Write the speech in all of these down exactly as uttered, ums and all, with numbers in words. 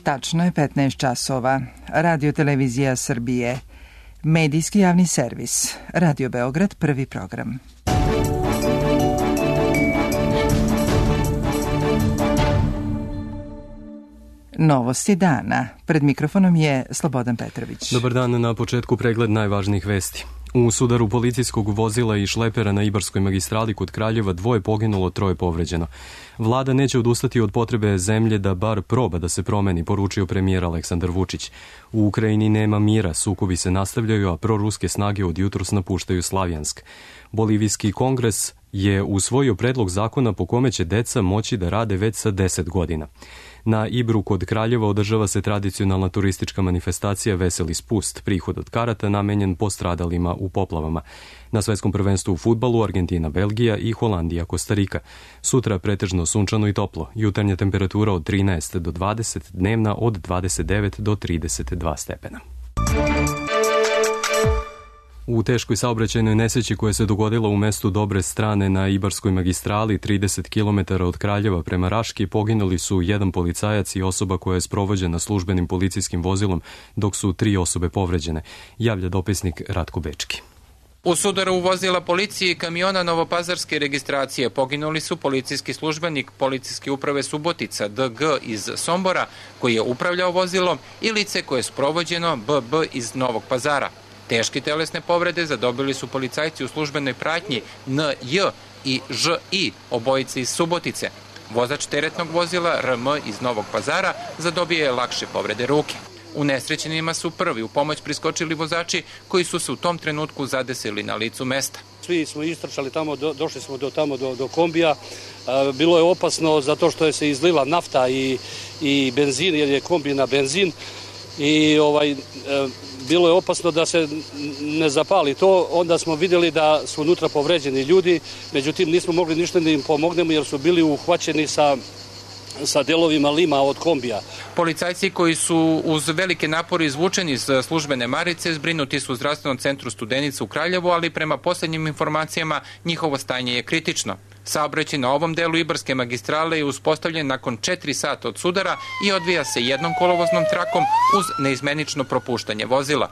Tačno je petnaest časova. Radio Televizija Srbije. Medijski javni servis. Radio Beograd, prvi program. Novosti dana. Pred mikrofonom je Slobodan Petrović. Dobar dan, na početku pregled najvažnijih vesti. U sudaru policijskog vozila i šlepera na Ibarskoj magistrali kod Kraljeva dvoje poginulo, troje povređeno. Vlada neće odustati od potrebe zemlje da bar proba da se promeni, poručio premijer Aleksandar Vučić. U Ukrajini nema mira, sukobi se nastavljaju, a proruske snage od jutros napuštaju Slavjansk. Bolivijski kongres je usvojio predlog zakona po kome će deca moći da rade već sa deset godina. Na Ibru kod Kraljeva održava se tradicionalna turistička manifestacija Veseli spust, prihod od karata namenjen postradalima u poplavama. Na svetskom prvenstvu u fudbalu Argentina, Belgija i Holandija, Kostarika. Sutra pretežno sunčano i toplo, jutarnja temperatura od trinaest do dvadeset, dnevna od dvadeset devet do trideset dva stepena. U teškoj saobraćajnoj nesreći koja se dogodila u mestu Dobre Strane na Ibarskoj magistrali trideset kilometara od Kraljeva prema Raški poginuli su jedan policajac i osoba koja je sprovođena službenim policijskim vozilom, dok su tri osobe povređene, javlja dopisnik Ratko Bečki. U sudaru vozila policije i kamiona novopazarske registracije poginuli su policijski službenik policijske uprave Subotica D G iz Sombora koji je upravljao vozilom i lice koje je sprovođeno B B iz Novog Pazara. Teške telesne povrede zadobili su policajci u službenoj pratnji N J i Ž I, obojice iz Subotice. Vozač teretnog vozila R M iz Novog Pazara zadobio je lakše povrede ruke. Unesrećenima su prvi u pomoć priskočili vozači koji su se u tom trenutku zadesili na licu mesta. Svi smo istrčali tamo, do, došli smo do tamo do, do kombija. E, bilo je opasno zato što je se izlila nafta i, i benzin, jer je kombi na benzin. I ovaj, e, bilo je opasno da se ne zapali to, onda smo vidjeli da su unutra povređeni ljudi, međutim nismo mogli ništa da im pomognemo jer su bili uhvaćeni sa sa delovima lima od kombija. Policajci koji su uz velike napore izvučeni iz službene marice zbrinuti su u zdravstvenom centru Studenica u Kraljevu, ali prema posljednjim informacijama njihovo stanje je kritično. Saobraćaj na ovom delu Ibarske magistrale je uspostavljen nakon četiri sata od sudara i odvija se jednom kolovoznom trakom uz neizmenično propuštanje vozila.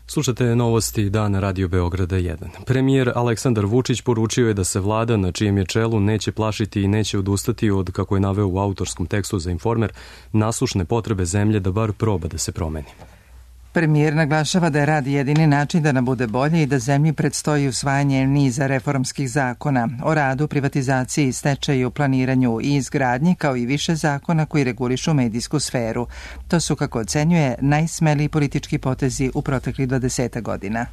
Slušate novosti dana Radio Beograda jedan. Premijer Aleksandar Vučić poručio je da se vlada na čijem je čelu neće plašiti i neće odustati od, kako je naveo u autorskom tekstu za Informer, naslušne potrebe zemlje da bar proba da se promeni. Premijer naglašava da je rad jedini način da nam bude bolje i da zemlji predstoji usvajanje niza reformskih zakona o radu, privatizaciji, stečaju, planiranju i izgradnji, kao i više zakona koji regulišu medijsku sferu. To su, kako ocenjuje, najsmeliji politički potezi u proteklih dvadeset godina.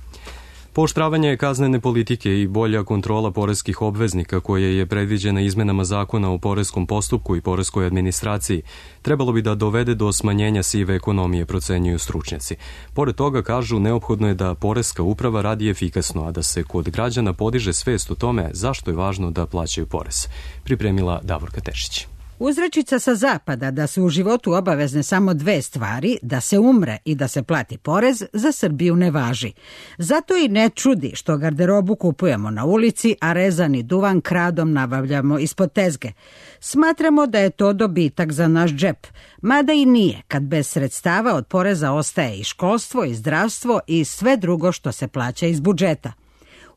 Pooštravanje kaznene politike i bolja kontrola poreskih obveznika koje je predviđena izmenama zakona o poreskom postupku i poreskoj administraciji trebalo bi da dovede do smanjenja sive ekonomije, procenjuju stručnjaci. Pored toga, kažu, neophodno je da poreska uprava radi efikasno, a da se kod građana podiže svest o tome zašto je važno da plaćaju porez. Pripremila Davorka Tešić. Uzrečica sa zapada da su u životu obavezne samo dve stvari, da se umre i da se plati porez, za Srbiju ne važi. Zato i ne čudi što garderobu kupujemo na ulici, a rezani duvan kradom nabavljamo ispod tezge. Smatramo da je to dobitak za naš džep, mada i nije, kad bez sredstava od poreza ostaje i školstvo, i zdravstvo i sve drugo što se plaća iz budžeta.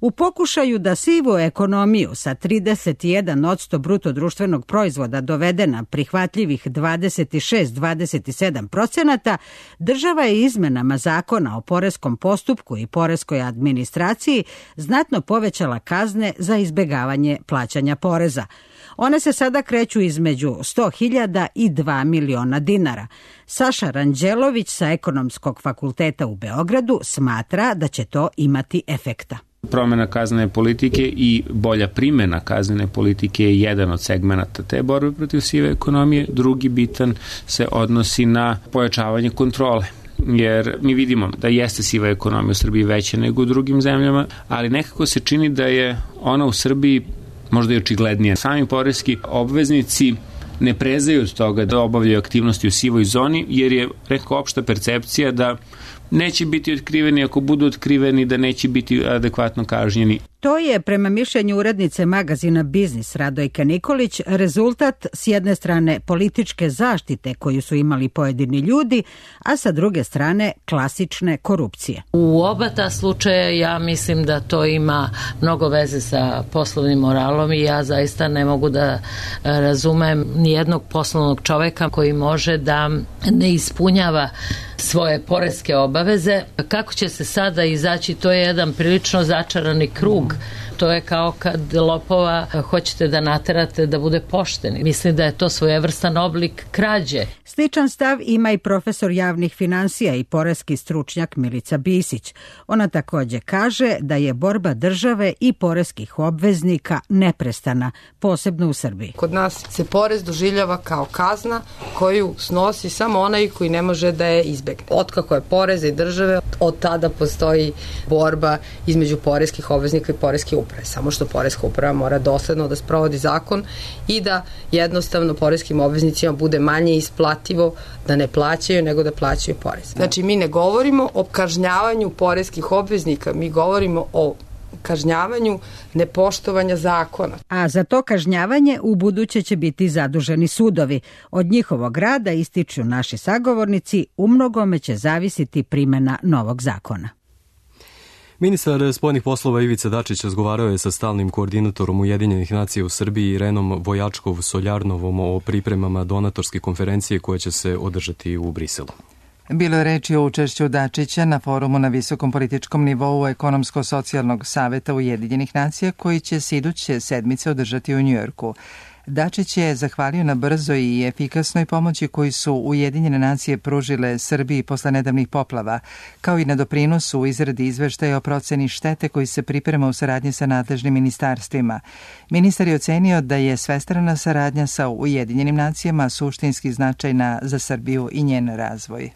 U pokušaju da sivu ekonomiju sa trideset jedan posto bruto društvenog proizvoda dovede na prihvatljivih dvadeset šest do dvadeset sedam procenata, država je izmenama zakona o poreskom postupku i poreskoj administraciji znatno povećala kazne za izbegavanje plaćanja poreza. One se sada kreću između sto hiljada i dva miliona dinara. Saša Ranđelović sa Ekonomskog fakulteta u Beogradu smatra da će to imati efekta. Promjena kaznene politike i bolja primjena kaznene politike je jedan od segmenata te borbe protiv sive ekonomije. Drugi bitan se odnosi na pojačavanje kontrole. Jer mi vidimo da jeste siva ekonomija u Srbiji veća nego u drugim zemljama, ali nekako se čini da je ona u Srbiji možda i očiglednija. Sami poreski obveznici ne prezaju od toga da obavljaju aktivnosti u sivoj zoni, jer je nekako opšta percepcija da neće biti otkriveni, ako budu otkriveni da neće biti adekvatno kažnjeni. To je, prema mišljenju urednice magazina Biznis Radojke Nikolić, rezultat s jedne strane političke zaštite koju su imali pojedini ljudi, a sa druge strane klasične korupcije. U oba ta slučaja ja mislim da to ima mnogo veze sa poslovnim moralom i ja zaista ne mogu da razumem nijednog poslovnog čoveka koji može da ne ispunjava svoje poreske obaveze. Kako će se sada izaći, to je jedan prilično začarani krug. To je kao kad lopova hoćete da naterate da bude pošten. Mislim da je to svojevrstan oblik krađe. Sličan stav ima i profesor javnih finansija i poreski stručnjak Milica Bisić. Ona takođe kaže da je borba države i poreskih obveznika neprestana, posebno u Srbiji. Kod nas se porez doživljava kao kazna koju snosi samo onaj koji ne može da je izbegne. Otkako je poreza i države, od tada postoji borba između poreskih obveznika i poreske uprave. Samo što poreska uprava mora dosledno da sprovodi zakon i da jednostavno poreskim obveznicima bude manje isplativo da ne plaćaju nego da plaćaju porez. Znači mi ne govorimo o kažnjavanju poreskih obveznika, mi govorimo o kažnjavanju nepoštovanja zakona. A za to kažnjavanje u buduće će biti zaduženi sudovi. Od njihovog rada, ističu naši sagovornici, u mnogome će zavisiti primjena novog zakona. Ministar spoljnih poslova Ivica Dačić razgovarao je sa stalnim koordinatorom Ujedinjenih nacija u Srbiji Irenom Vojačkov-Soljarnovom o pripremama donatorske konferencije koja će se održati u Briselu. Bilo je reči o učešću Dačića na forumu na visokom političkom nivou Ekonomsko-socijalnog saveta Ujedinjenih nacija koji će se iduće sedmice održati u Njujorku. Dačić je zahvalio na brzoj i efikasnoj pomoći koju su Ujedinjene nacije pružile Srbiji posle nedavnih poplava, kao i na doprinosu u izradi izveštaja o proceni štete koji se priprema u saradnji sa nadležnim ministarstvima. Ministar je ocenio da je svestrana saradnja sa Ujedinjenim nacijama suštinski značajna za Srbiju i njen razvoj.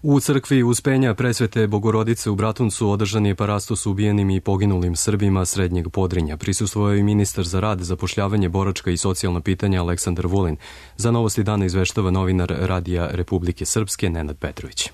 U crkvi Uspenja Presvete Bogorodice u Bratuncu održan je parastos ubijenim i poginulim Srbima Srednjeg Podrinja. Prisustvovao je i ministar za rad, zapošljavanje, boračka i socijalna pitanja Aleksandar Vulin. Za Novosti dana izveštava novinar Radija Republike Srpske Nenad Petrović.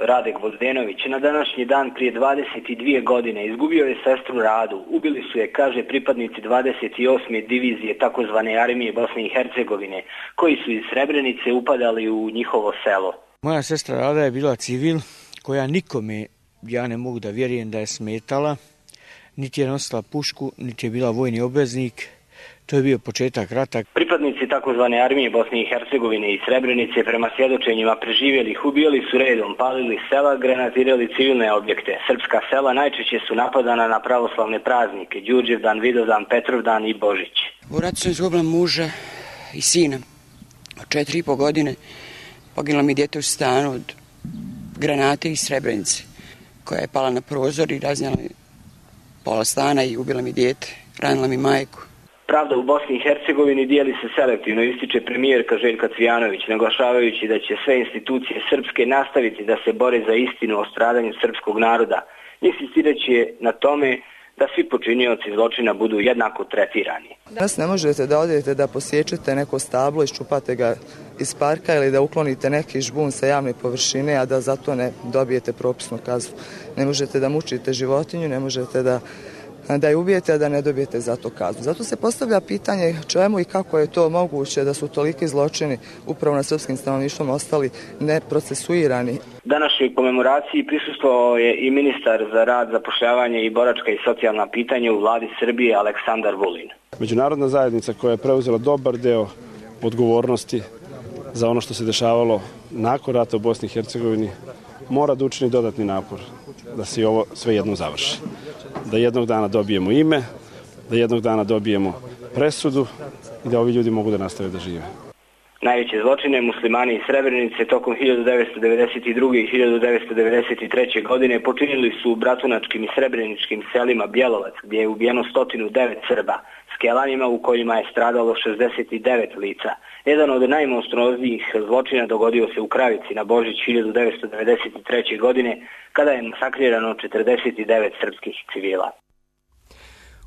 Radek Vozdenović na današnji dan prije dvadeset dvije godine izgubio je sestru Radu. Ubili su je, kaže, pripadnici dvadeset osme divizije takozvane armije Bosne i Hercegovine, koji su iz Srebrenice upadali u njihovo selo. Moja sestra Rada je bila civil koja nikome, ja ne mogu da vjerujem da je smetala, niti je nosila pušku, niti je bila vojni obveznik. To je bio početak rata. Pripadnici takozvane armije Bosne i Hercegovine i Srebrenice prema svjedočenjima preživjelih ubijali su redom, palili sela, granatirali civilne objekte. Srpska sela najčešće su napadana na pravoslavne praznike, Đurđevdan, Vidovdan, Petrovdan i Božić. U ratu sam izgubila muža i sina od četiri i po godine. Poginula mi dijete u stanu od granate iz Srebrenice, koja je pala na prozor i raznjala mi pola stana i ubila mi dijete, ranila mi majku. Pravda u Bosni i Hercegovini dijeli se selektivno, ističe premijerka Željka Cvijanović, naglašavajući da će sve institucije srpske nastaviti da se bore za istinu o stradanju srpskog naroda. Insistirajući je na tome da svi počinioci zločina budu jednako tretirani. Danas ne možete da odete da posjećete neko stablo, iščupate ga iz parka ili da uklonite neki žbun sa javne površine, a da zato ne dobijete propisnu kaznu. Ne možete da mučite životinju, ne možete da, da je ubijete, a da ne dobijete za to kaznu. Zato se postavlja pitanje čemu i kako je to moguće da su toliki zločini upravo na srpskim stanovništvom ostali neprocesuirani. Današnjoj komemoraciji prisustvovao je i ministar za rad, zapošljavanje i boračka i socijalna pitanja u vladi Srbije Aleksandar Vulin. Međunarodna zajednica koja je preuzela dobar deo odgovornosti za ono što se dešavalo nakon rata u Bosni i Hercegovini mora da učini dodatni napor da se ovo sve jednom završi. Da jednog dana dobijemo ime, da jednog dana dobijemo presudu i da ovi ljudi mogu da nastave da žive. Najveće zločine muslimani iz Srebrenice tokom hiljadu devetsto devedeset druge i hiljadu devetsto devedeset treće. godine počinili su u bratunačkim i srebreničkim selima Bjelovac, gdje je ubijeno sto devet Srba, Skelanima u kojima je stradalo šezdeset devet lica. Jedan od najmonstruoznijih zločina dogodio se u Kravici na Božić hiljadu devetsto devedeset treće. godine, kada je masakrirano četrdeset devet srpskih civila.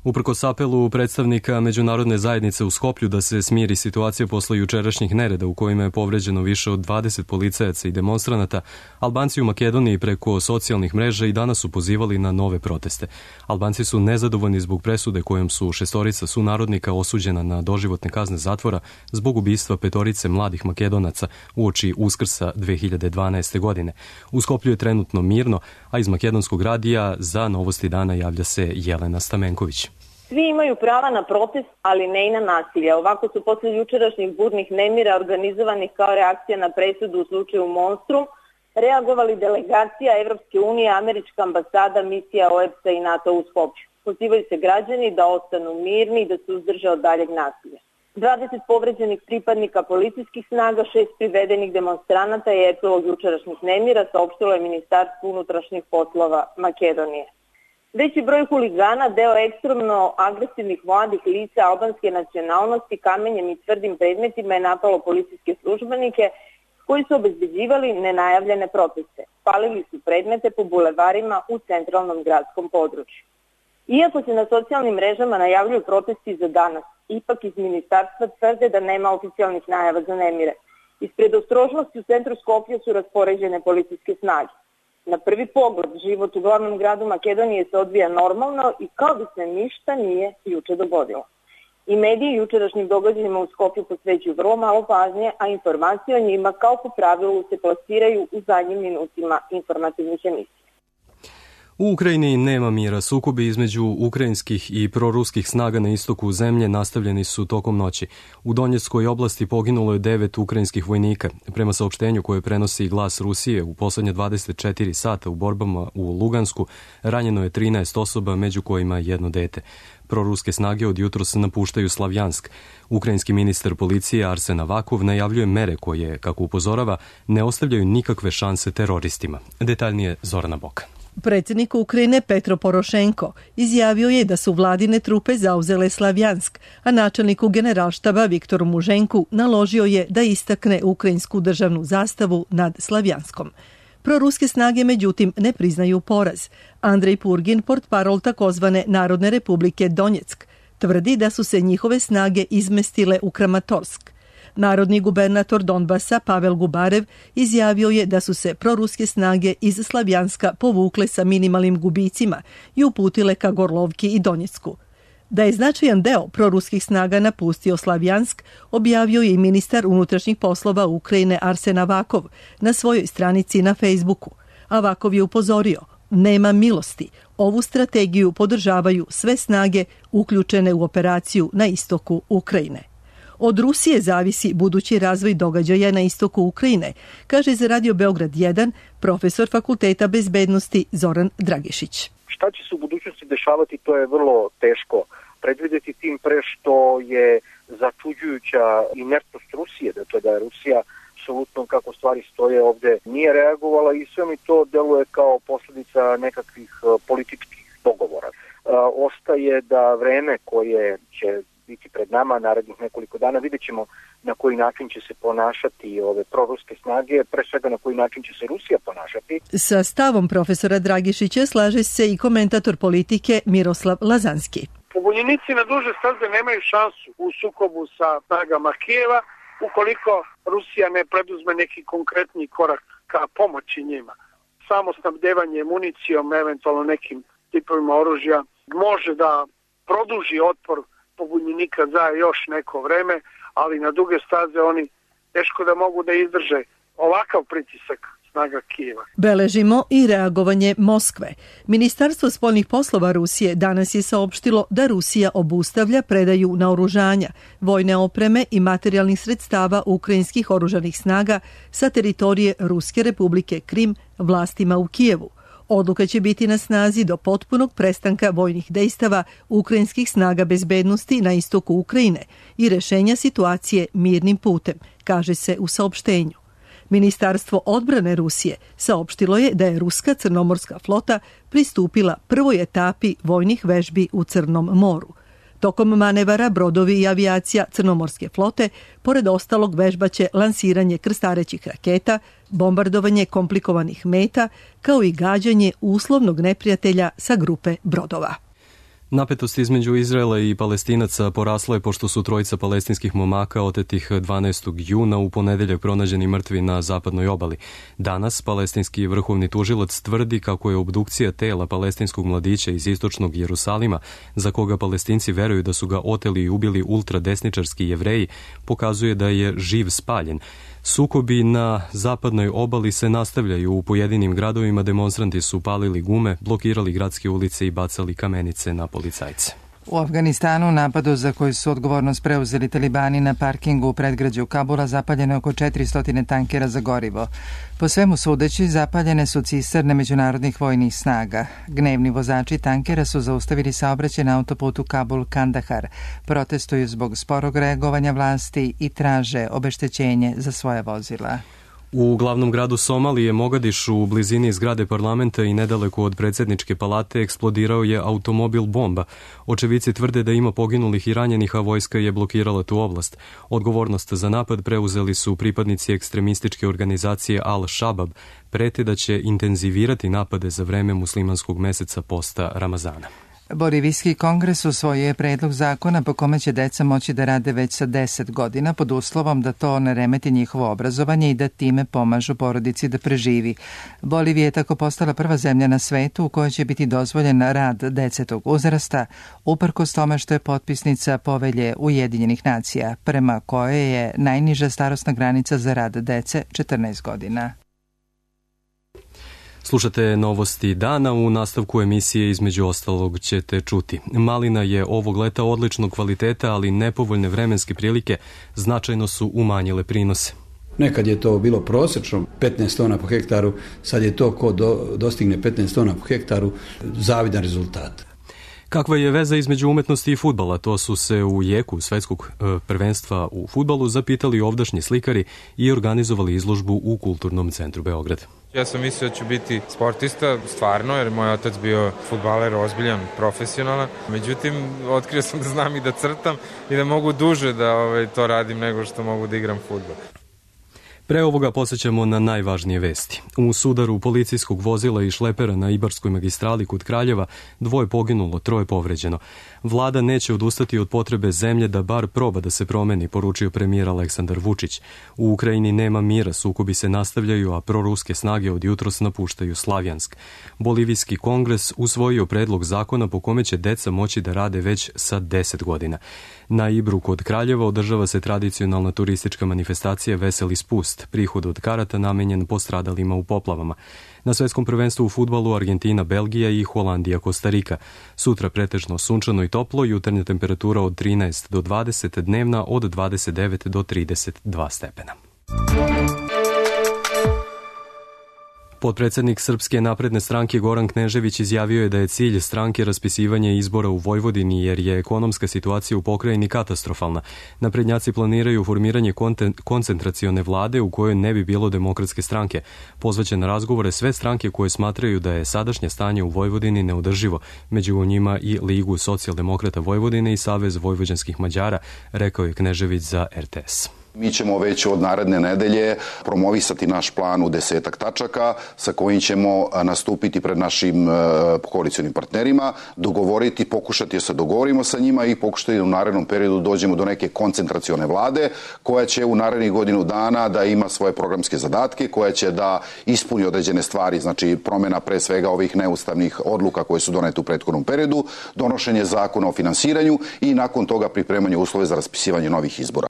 Uprkos apelu predstavnika međunarodne zajednice u Skoplju da se smiri situacija posle jučerašnjih nereda u kojima je povređeno više od dvadeset policajaca i demonstranata, Albanci u Makedoniji preko socijalnih mreža i danas su pozivali na nove proteste. Albanci su nezadovoljni zbog presude kojom su šestorica sunarodnika osuđena na doživotne kazne zatvora zbog ubistva petorice mladih Makedonaca uoči Uskrsa dve hiljade dvanaeste. godine. U Skoplju je trenutno mirno, a iz Makedonskog radija za Novosti dana javlja se Jelena Stamenković. Svi imaju prava na protest, ali ne i na nasilje. Ovako su posle jučerašnjih burnih nemira organizovanih kao reakcija na presudu u slučaju Monstrum reagovali delegacija Evropske unije, američka ambasada, misija O E B S A i NATO u Skoplju. Pozivaju se građani da ostanu mirni i da se uzdrže od daljeg nasilja. dvadeset povređenih pripadnika policijskih snaga, šest privedenih demonstranata je epilog jučerašnjih nemira, saopštilo je Ministarstvo unutrašnjih poslova Makedonije. Veći broj huligana, deo ekstremno agresivnih mladih lica albanske nacionalnosti, kamenjem i tvrdim predmetima je napalo policijske službenike koji su obezbeđivali nenajavljene proteste. Palili su predmete po bulevarima u centralnom gradskom području. Iako se na socijalnim mrežama najavljuju protesti za danas, ipak iz ministarstva tvrde da nema oficijalnih najava za nemire. Iz predostrožnosti u centru Skoplja su raspoređene policijske snage. Na prvi pogled, život u glavnom gradu Makedonije se odvija normalno i kao da se ništa nije juče dogodilo. I mediji jučerašnjim događajima u Skoplju posvećuju vrlo malo pažnje, a informacije o njima kao po pravilu se plasiraju u zadnjim minutima informativnih emisija. U Ukrajini nema mira. Sukobi između ukrajinskih i proruskih snaga na istoku zemlje nastavljeni su tokom noći. U Donjeckoj oblasti poginulo je devet ukrajinskih vojnika. Prema saopštenju koje prenosi Glas Rusije, u poslednje dvadeset četiri sata u borbama u Lugansku ranjeno je trinaest osoba, među kojima jedno dete. Proruske snage od jutros napuštaju Slavjansk. Ukrajinski ministar policije Arsen Avakov najavljuje mere koje, kako upozorava, ne ostavljaju nikakve šanse teroristima. Detaljnije Zorana Boka. Predsjednik Ukrajine Petro Porošenko izjavio je da su vladine trupe zauzele Slavjansk, a načelniku generalštaba Viktoru Muženku naložio je da istakne ukrajinsku državnu zastavu nad Slavjanskom. Proruske snage, međutim, ne priznaju poraz. Andrej Purgin, portparol takozvane Narodne republike Donjeck, tvrdi da su se njihove snage izmestile u Kramatorsk. Narodni gubernator Donbasa Pavel Gubarev izjavio je da su se proruske snage iz Slavjanska povukle sa minimalnim gubicima i uputile ka Gorlovki i Donjecku. Da je značajan deo proruskih snaga napustio Slavjansk, objavio je i ministar unutrašnjih poslova Ukrajine Arsen Avakov na svojoj stranici na Facebooku. Avakov je upozorio: nema milosti. Ovu strategiju podržavaju sve snage uključene u operaciju na istoku Ukrajine. Od Rusije zavisi budući razvoj događaja na istoku Ukrajine, kaže za Radio Beograd jedan profesor Fakulteta bezbednosti Zoran Dragišić. Šta će se u budućnosti dešavati, to je vrlo teško predvidjeti, tim pre što je začuđujuća inertnost Rusije, da to da je Rusija apsolutno kako stvari stoje ovde nije reagovala i sve mi to deluje kao posljedica nekakvih političkih dogovora. Ostaje da vreme koje će biti pred nama narednih nekoliko dana, vidjet ćemo na koji način će se ponašati ove proruske snage, pre svega na koji način će se Rusija ponašati. Sa stavom profesora Dragišića slaže se i komentator politike Miroslav Lazanski. Pobunjenici na duže staze nemaju šansu u sukobu sa snagama Kijeva ukoliko Rusija ne preduzme neki konkretni korak ka pomoći njima. Samo snabdevanje municijom, eventualno nekim tipovima oružja, može da produži otpor pobunjenika za još neko vreme, ali na duge staze oni teško da mogu da izdrže ovakav pritisak snaga Kijeva. Beležimo i reagovanje Moskve. Ministarstvo spoljnih poslova Rusije danas je saopštilo da Rusija obustavlja predaju naoružanja, vojne opreme i materijalnih sredstava ukrajinskih oružanih snaga sa teritorije Ruske republike Krim vlastima u Kijevu. Odluka će biti na snazi do potpunog prestanka vojnih dejstava ukrajinskih snaga bezbednosti na istoku Ukrajine i rešenja situacije mirnim putem, kaže se u saopštenju. Ministarstvo odbrane Rusije saopštilo je da je ruska crnomorska flota pristupila prvoj etapi vojnih vežbi u Crnom moru. Tokom manevara brodovi i avijacija crnomorske flote, pored ostalog, vežbaće lansiranje krstarećih raketa, bombardovanje komplikovanih meta, kao i gađanje uslovnog neprijatelja sa grupe brodova. Napetost između Izraela i Palestinaca porasla je pošto su trojica palestinskih momaka otetih dvanaestog juna u ponedeljak pronađeni mrtvi na zapadnoj obali. Danas palestinski vrhovni tužilac tvrdi kako je obdukcija tela palestinskog mladića iz istočnog Jerusalima, za koga Palestinci veruju da su ga oteli i ubili ultradesničarski Jevreji, pokazuje da je živ spaljen. Sukobi na zapadnoj obali se nastavljaju. U pojedinim gradovima demonstranti su palili gume, blokirali gradske ulice i bacali kamenice na policajce. U Afganistanu u napadu za koji su odgovornost preuzeli talibani na parkingu u predgrađu Kabula zapaljeno je oko četiristo tankera za gorivo. Po svemu sudeći, zapaljene su cisterne međunarodnih vojnih snaga. Gnevni vozači tankera su zaustavili saobraćaj na autoputu Kabul-Kandahar, protestuju zbog sporog reagovanja vlasti i traže obeštećenje za svoja vozila. U glavnom gradu Somalije, Mogadišu, u blizini zgrade parlamenta i nedaleko od predsjedničke palate eksplodirao je automobil bomba. Očevici tvrde da ima poginulih i ranjenih, a vojska je blokirala tu oblast. Odgovornost za napad preuzeli su pripadnici ekstremističke organizacije Al-Shabab, prete da će intenzivirati napade za vreme muslimanskog meseca posta Ramazana. Bolivijski kongres usvojio je predlog zakona po kome će deca moći da rade već sa deset godina pod uslovom da to ne remeti njihovo obrazovanje i da time pomažu porodici da preživi. Bolivija je tako postala prva zemlja na svetu u kojoj će biti dozvoljen rad dece tog uzrasta, uprkos tome što je potpisnica Povelje Ujedinjenih nacija, prema kojoj je najniža starosna granica za rad dece četrnaest godina. Slušate novosti dana, u nastavku emisije između ostalog ćete čuti. Malina je ovog leta odličnog kvaliteta, ali nepovoljne vremenske prilike značajno su umanjile prinose. Nekad je to bilo prosječno petnaest tona po hektaru, sad je to ko do, dostigne petnaest tona po hektaru zavidan rezultat. Kakva je veza između umetnosti i fudbala? To su se u jeku svetskog prvenstva u fudbalu zapitali ovdašnji slikari i organizovali izložbu u Kulturnom centru Beograd. Ja sam mislio da ću biti sportista, stvarno, jer moj otac bio fudbaler, ozbiljan, profesionalan. Međutim, otkrio sam da znam i da crtam i da mogu duže da ovaj, to radim nego što mogu da igram fudbal. Pre ovoga posjećamo na najvažnije vesti. U sudaru policijskog vozila i šlepera na Ibarskoj magistrali kod Kraljeva dvoje poginulo, troje povređeno. Vlada neće odustati od potrebe zemlje da bar proba da se promeni, poručio premijer Aleksandar Vučić. U Ukrajini nema mira, sukobi se nastavljaju, a proruske snage od jutros napuštaju Slavjansk. Bolivijski kongres usvojio predlog zakona po kome će deca moći da rade već sa deset godina. Na Ibru kod Kraljeva održava se tradicionalna turistička manifestacija Veseli spust, prihod od karata namenjen postradalima u poplavama. Na svetskom prvenstvu u fudbalu Argentina, Belgija i Holandija, Kostarika. Sutra pretežno sunčano i toplo, jutarnja temperatura od trinaest do dvadeset, dnevna od dvadeset devet do trideset dva stepena. Potpredsednik Srpske napredne stranke Goran Knežević izjavio je da je cilj stranke raspisivanje izbora u Vojvodini jer je ekonomska situacija u pokrajini katastrofalna. Naprednjaci planiraju formiranje koncentracione vlade u kojoj ne bi bilo demokratske stranke. Pozvaće na razgovore sve stranke koje smatraju da je sadašnje stanje u Vojvodini neodrživo, među njima i Ligu socijaldemokrata Vojvodine i Savez vojvođanskih Mađara, rekao je Knežević za er te es. Mi ćemo već od naredne nedelje promovisati naš plan u desetak tačaka sa kojim ćemo nastupiti pred našim koalicionim partnerima, dogovoriti, pokušati da se dogovorimo sa njima i pokušati da u narednom periodu dođemo do neke koncentracione vlade koja će u narednih godinu dana da ima svoje programske zadatke, koja će da ispuni određene stvari, znači promjena pre svega ovih neustavnih odluka koje su donete u prethodnom periodu, donošenje zakona o finansiranju i nakon toga pripremanje uslove za raspisivanje novih izbora.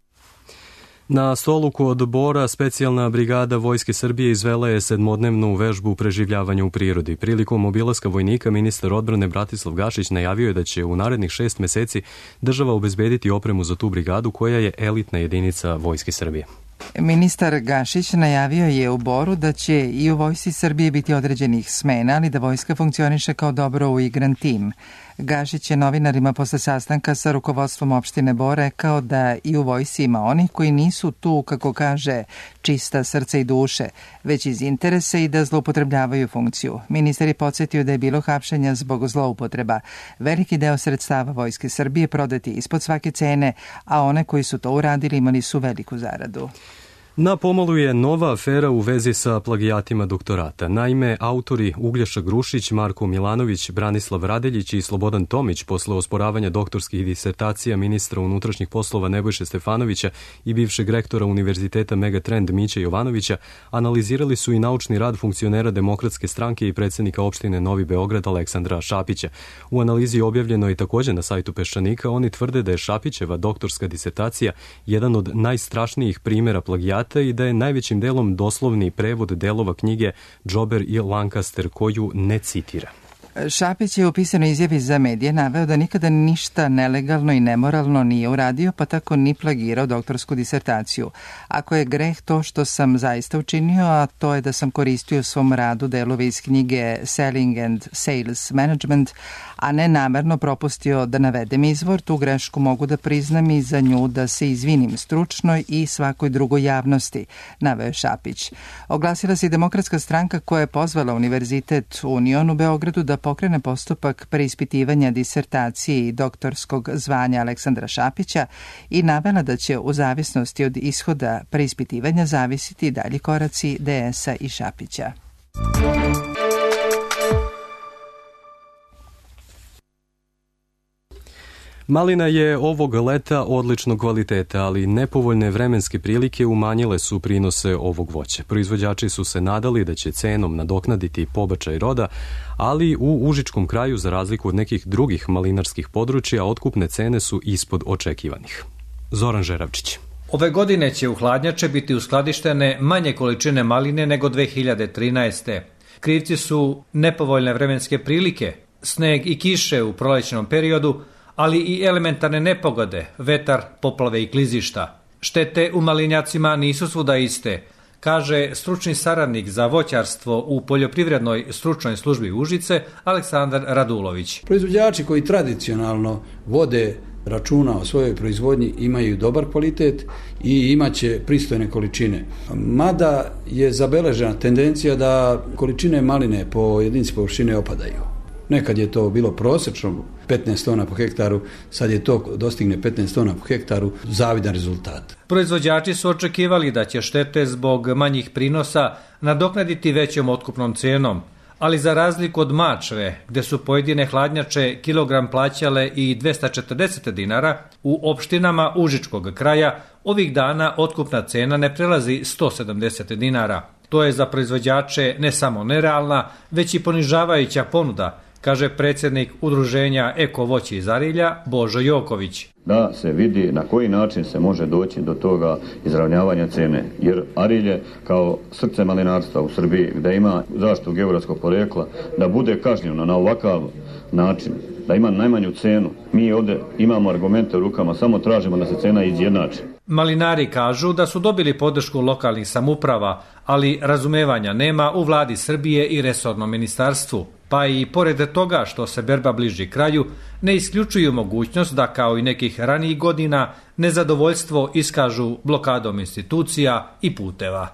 Na stolu kod Bora specijalna brigada Vojske Srbije izvela je sedmodnevnu vežbu preživljavanja u prirodi. Prilikom obilaska vojnika ministar odbrane Bratislav Gašić najavio je da će u narednih šest meseci država obezbediti opremu za tu brigadu koja je elitna jedinica Vojske Srbije. Ministar Gašić najavio je u Boru da će i u Vojsci Srbije biti određenih smena, ali da vojska funkcioniše kao dobro uigran tim. Gašić je novinarima posle sastanka sa rukovodstvom opštine Bor rekao da i u vojsci ima onih koji nisu tu, kako kaže, čista srca i duše, već iz interesa i da zloupotrebljavaju funkciju. Ministar je podsjetio da je bilo hapšenja zbog zloupotreba. Veliki deo sredstava Vojske Srbije prodati ispod svake cene, a one koji su to uradili imali su veliku zaradu. Na pomolu je nova afera u vezi sa plagijatima doktorata. Naime, autori Uglješa Grušić, Marko Milanović, Branislav Radeljić i Slobodan Tomić posle osporavanja doktorskih disertacija ministra unutrašnjih poslova Nebojše Stefanovića i bivšeg rektora Univerziteta Megatrend Miće Jovanovića analizirali su i naučni rad funkcionera Demokratske stranke i predsjednika opštine Novi Beograd Aleksandra Šapića. U analizi objavljeno i također na sajtu Peščanika oni tvrde da je Šapićeva doktorska disertacija jedan od najstrašnijih primjera plagijata i da je najvećim delom doslovni prevod delova knjige Džober i Lancaster koju ne citira. Šapić je u pisanoj izjavi za medije naveo da nikada ništa nelegalno i nemoralno nije uradio, pa tako ni plagirao doktorsku disertaciju. Ako je greh to što sam zaista učinio, a to je da sam koristio u svom radu delove iz knjige Selling and Sales Management, a ne namerno propustio da navedem izvor, tu grešku mogu da priznam i za nju da se izvinim stručnoj i svakoj drugoj javnosti, naveo je Šapić. Oglasila se i Demokratska stranka koja je pozvala Univerzitet Union u Beogradu da pokrene postupak preispitivanja disertacije i doktorskog zvanja Aleksandra Šapića i navela da će u zavisnosti od ishoda preispitivanja zavisiti dalji koraci D S-a i Šapića. Malina je ovog leta odličnog kvaliteta, ali nepovoljne vremenske prilike umanjile su prinose ovog voća. Proizvođači su se nadali da će cenom nadoknaditi pobačaj roda, ali u užičkom kraju, za razliku od nekih drugih malinarskih područja, otkupne cene su ispod očekivanih. Zoran Žeravčić. Ove godine će u hladnjače biti uskladištene manje količine maline nego dve hiljade trinaeste. Krivci su nepovoljne vremenske prilike, sneg i kiše u prolećnom periodu, ali i elementarne nepogode, vetar, poplave i klizišta. Štete u malinjacima nisu svuda iste, kaže stručni saradnik za voćarstvo u poljoprivrednoj stručnoj službi Užice Aleksandar Radulović. Proizvođači koji tradicionalno vode računa o svojoj proizvodnji imaju dobar kvalitet i imaće pristojne količine. Mada je zabeležena tendencija da količine maline po jedinici površine opadaju. Nekad je to bilo prosečno petnaest tona po hektaru, sad je to dostigne petnaest tona po hektaru, zavidan rezultat. Proizvođači su očekivali da će štete zbog manjih prinosa nadoknaditi većom otkupnom cenom, ali za razliku od Mačve, gde su pojedine hladnjače kilogram plaćale i dvesta četrdeset dinara, u opštinama Užičkog kraja ovih dana otkupna cena ne prelazi sto sedamdeset dinara. To je za proizvođače ne samo nerealna, već i ponižavajuća ponuda, kaže predsjednik udruženja Eko voće iz Arilja Božo Joković. Da se vidi na koji način se može doći do toga izravnjavanja cene, jer Arilje kao srce malinarstva u Srbiji, gde ima zaštitu geografskog porekla, da bude kažnjeno na ovakav način, da ima najmanju cenu. Mi ovdje imamo argumente u rukama, samo tražimo da se cena izjednači. Malinari kažu da su dobili podršku lokalnih samouprava, ali razumevanja nema u vladi Srbije i resornom ministarstvu. Pa i pored toga što se berba bliži kraju, ne isključuju mogućnost da kao i nekih ranijih godina nezadovoljstvo iskažu blokadom institucija i puteva.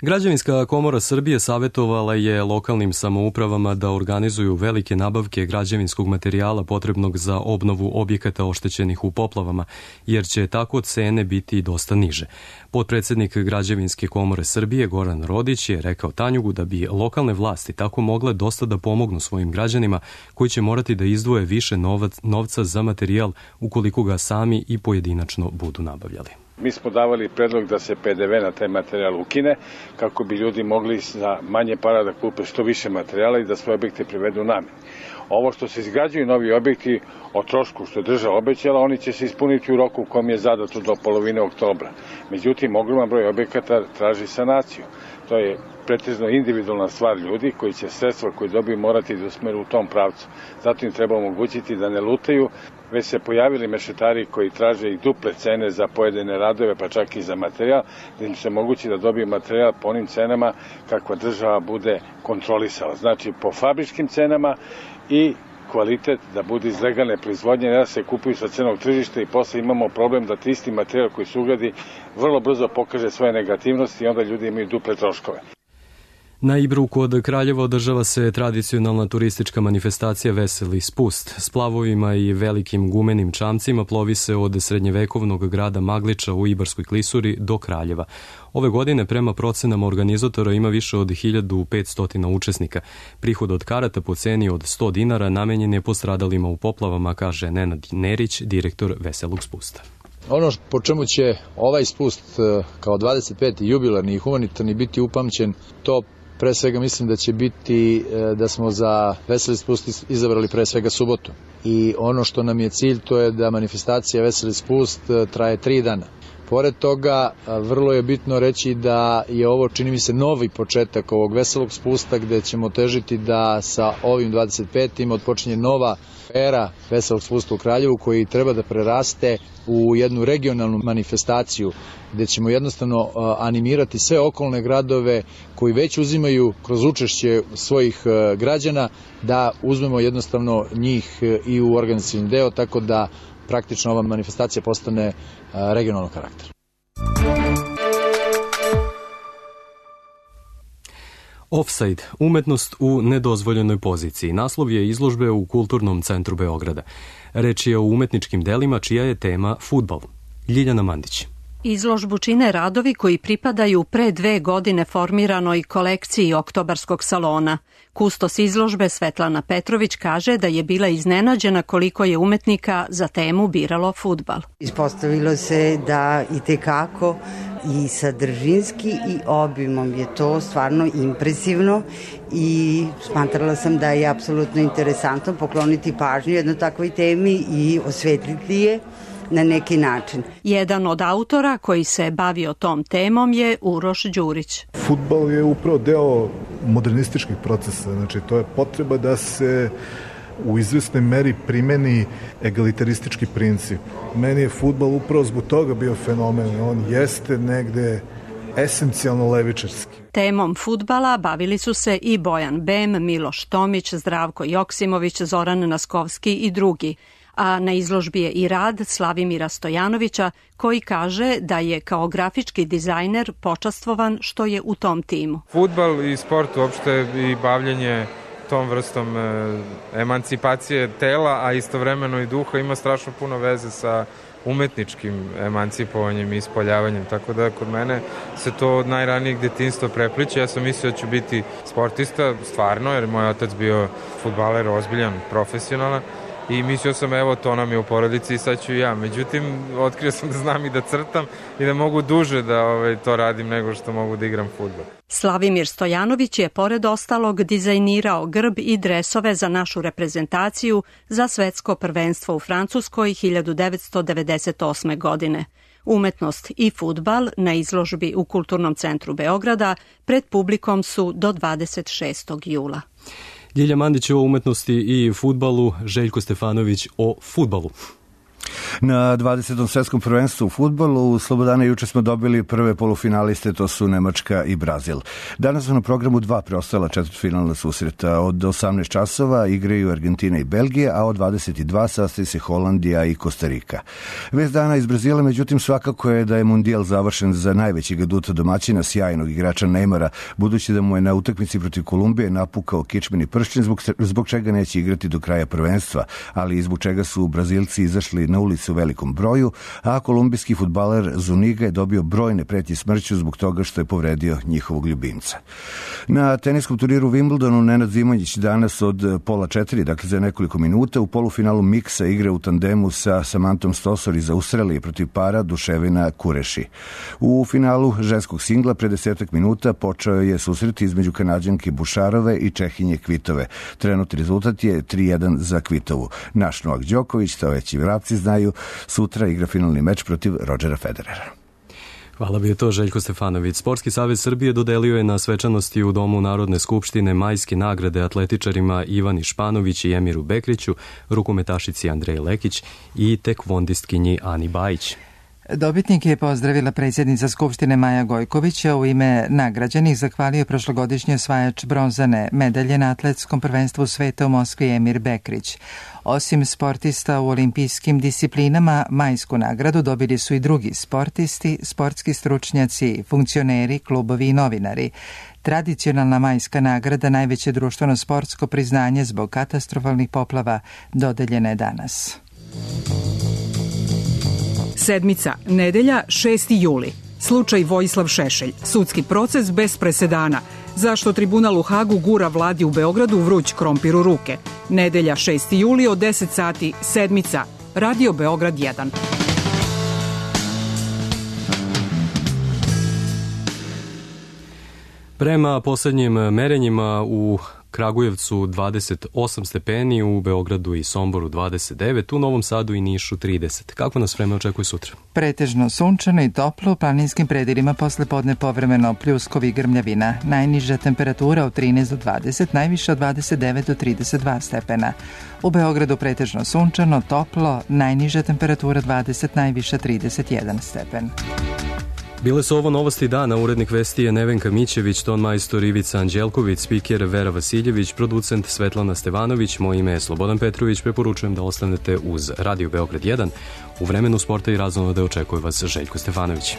Građevinska komora Srbije savjetovala je lokalnim samoupravama da organizuju velike nabavke građevinskog materijala potrebnog za obnovu objekata oštećenih u poplavama, jer će tako cene biti dosta niže. Potpredsjednik Građevinske komore Srbije Goran Rodić je rekao Tanjugu da bi lokalne vlasti tako mogle dosta da pomognu svojim građanima koji će morati da izdvoje više novac, novca za materijal ukoliko ga sami i pojedinačno budu nabavljali. Mi smo davali predlog da se P D V na taj materijal ukine, kako bi ljudi mogli za manje para da kupe što više materijala i da svoje objekte privedu nameni. Ovo što se izgrađuju novi objekti o trošku što je država obećala, oni će se ispuniti u roku u kom je zadato do polovine oktobra. Međutim, ogroman broj objekata traži sanaciju. To je pretežno individualna stvar ljudi koji će sredstva koje dobiju morati da usmeru u tom pravcu. Zato im treba omogućiti da ne lutaju. Već se pojavili mešetari koji traže i duple cene za pojedine radove, pa čak i za materijal, da im se mogući da dobiju materijal po onim cenama kakva država bude kontrolisala. Znači po fabričkim cenama i kvalitet da bude iz legalne proizvodnje, ne da se kupuju sa cenog tržišta i posle imamo problem da isti materijal koji se ugradi vrlo brzo pokaže svoje negativnosti i onda ljudi imaju duple troškove. Na Ibru kod Kraljeva održava se tradicionalna turistička manifestacija Veseli spust. S plavovima i velikim gumenim čamcima plovi se od srednjevekovnog grada Magliča u Ibarskoj klisuri do Kraljeva. Ove godine prema procenama organizatora ima više od hiljadu petsto učesnika. Prihod od karata po ceni od sto dinara namenjen je postradalima u poplavama, kaže Nenad Nerić, direktor Veselog spusta. Ono po čemu će ovaj spust kao dvadeset peti jubilarni i humanitarni biti upamćen, to pre svega mislim da će biti da smo za Veseli spust izabrali pre svega subotu. I ono što nam je cilj, to je da manifestacija Veseli spust traje tri dana. Pored toga, vrlo je bitno reći da je ovo, čini mi se, novi početak ovog Veselog spusta, gde ćemo težiti da sa ovim dvadeset petim odpočinje nova era Veselog spusta u Kraljevu, koji treba da preraste u jednu regionalnu manifestaciju, gde ćemo jednostavno animirati sve okolne gradove koji već uzimaju kroz učešće svojih građana, da uzmemo jednostavno njih i u organizacioni deo, tako da praktično ova manifestacija postane regionalnog karaktera. Offside, umetnost u nedozvoljenoj poziciji. Naslov je izložbe u Kulturnom centru Beograda. Reč je o umetničkim delima čija je tema fudbal. Ljiljana Mandić. Izložbu čine radovi koji pripadaju pre dve godine formiranoj kolekciji Oktobarskog salona. Kustos izložbe Svetlana Petrović kaže da je bila iznenađena koliko je umetnika za temu biralo fudbal. Ispostavilo se da i tekako i sadržinski i obimom je to stvarno impresivno i smatrala sam da je apsolutno interesantno pokloniti pažnju jednoj takvoj temi i osvetliti je na neki način. Jedan od autora koji se bavio tom temom je Uroš Đurić. Fudbal je upravo deo modernističkih procesa, znači to je potreba da se u izvesnoj meri primeni egalitaristički princip. Meni je fudbal upravo zbog toga bio fenomen, on jeste negde esencijalno levičarski. Temom fudbala bavili su se i Bojan Bem, Miloš Tomić, Zdravko Joksimović, Zoran Naskovski i drugi. A na izložbi je i rad Slavimira Stojanovića, koji kaže da je kao grafički dizajner počastvovan što je u tom timu. Fudbal i sport uopšte i bavljenje tom vrstom emancipacije tela, a istovremeno i duha ima strašno puno veze sa umetničkim emancipovanjem i ispoljavanjem, tako da kod mene se to od najranijeg detinjstva prepliče. Ja sam mislio da ću biti sportista, stvarno, jer moj otac bio fudbaler ozbiljan, profesionalan, i mislio sam, evo, to nam je u porodici i sad ću i ja. Međutim, otkrio sam da znam i da crtam i da mogu duže da ovaj, to radim nego što mogu da igram fudbal. Slavimir Stojanović je pored ostalog dizajnirao grb i dresove za našu reprezentaciju za svetsko prvenstvo u Francuskoj hiljadu devetsto devedeset osme. godine. Umetnost i fudbal na izložbi u Kulturnom centru Beograda pred publikom su do dvadeset šestog jula. Ljilja Mandić o umetnosti i fudbalu, Željko Stefanović o fudbalu. Na dvadesetom svetskom prvenstvu u fudbalu u Slobodana juče smo dobili prve polufinaliste, to su Nemačka i Brazil. Danas su na programu dva preostala četvrtfinalna susreta. Od osamnaest časova igraju Argentina i Belgija, a od dvadeset dva sastaje se Holandija i Kostarika. Vest dana iz Brazila, međutim, svakako je da je mundijal završen za najvećeg aduta domaćina, sjajnog igrača Neymara, budući da mu je na utakmici protiv Kolumbije napukao kičmeni pršćen, zbog, zbog čega neće igrati do kraja prvenstva, ali i zbog čega su Brazilci izašli na ulicu u velikom broju, a kolumbijski fudbaler Zuniga je dobio brojne pretnje smrću zbog toga što je povredio njihovog ljubimca. Na teniskom turiru Wimbledonu Nenad Zimonjić danas od pola četiri, dakle za nekoliko minuta, u polufinalu miksa igra u tandemu sa Samantom Stosur iz Australije protiv para Duševina Kureši. U finalu ženskog singla pre desetak minuta počeo je susret između Kanađanke Bušarove i Čehinje Kvitove. Trenutni rezultat je tri jedan za Kvitovu. Naš Novak Đoković, to već i vrapci znaju, sutra igra finalni meč protiv Rodgera Federera. Hvala bi je to Željko Stefanović. Sportski savez Srbije dodelio je na svečanosti u Domu Narodne skupštine majske nagrade atletičarima Ivani Španović i Emiru Bekriću, rukometašici Andreji Lekić i tekvondistkinji Ani Bajić. Dobitnik je pozdravila predsjednica Skupštine Maja Gojković, a u ime nagrađenih zahvalio prošlogodišnji osvajač bronzane medalje na atletskom prvenstvu sveta u Moskvi Emir Bekrić. Osim sportista u olimpijskim disciplinama, majsku nagradu dobili su i drugi sportisti, sportski stručnjaci, funkcioneri, klubovi i novinari. Tradicionalna majska nagrada, najveće društveno sportsko priznanje zbog katastrofalnih poplava, dodeljena je danas. Sedmica, nedelja, šesti juli. Slučaj Vojislav Šešelj. Sudski proces bez presedana. Zašto tribunal u Hagu gura vladi u Beogradu vruć krompir u ruke? Nedelja, šesti juli od deset sati, sedmica. Radio Beograd jedan. Prema poslednjim merenjima u Kragujevcu dvadeset osam stepeni, u Beogradu i Somboru dvadeset devet, u Novom Sadu i Nišu trideset. Kako nas vreme očekuje sutra? Pretežno sunčano i toplo, u planinskim predelima posle podne povremeno pljuskovi i grmljavina. Najniža temperatura od trinaest do dvadeset, najviša od dvadeset devet do trideset dva stepena. U Beogradu pretežno sunčano, toplo, najniža temperatura dvadeset, najviša trideset jedan stepen. Bile su ovo novosti dana, urednik vesti je Nevenka Mićević, ton majstor Ivica Anđelković, spiker Vera Vasiljević, producent Svetlana Stevanović, moje ime je Slobodan Petrović, preporučujem da ostanete uz Radio Beograd jedan. U vremenu sporta i razonode očekuje vas Željko Stefanović.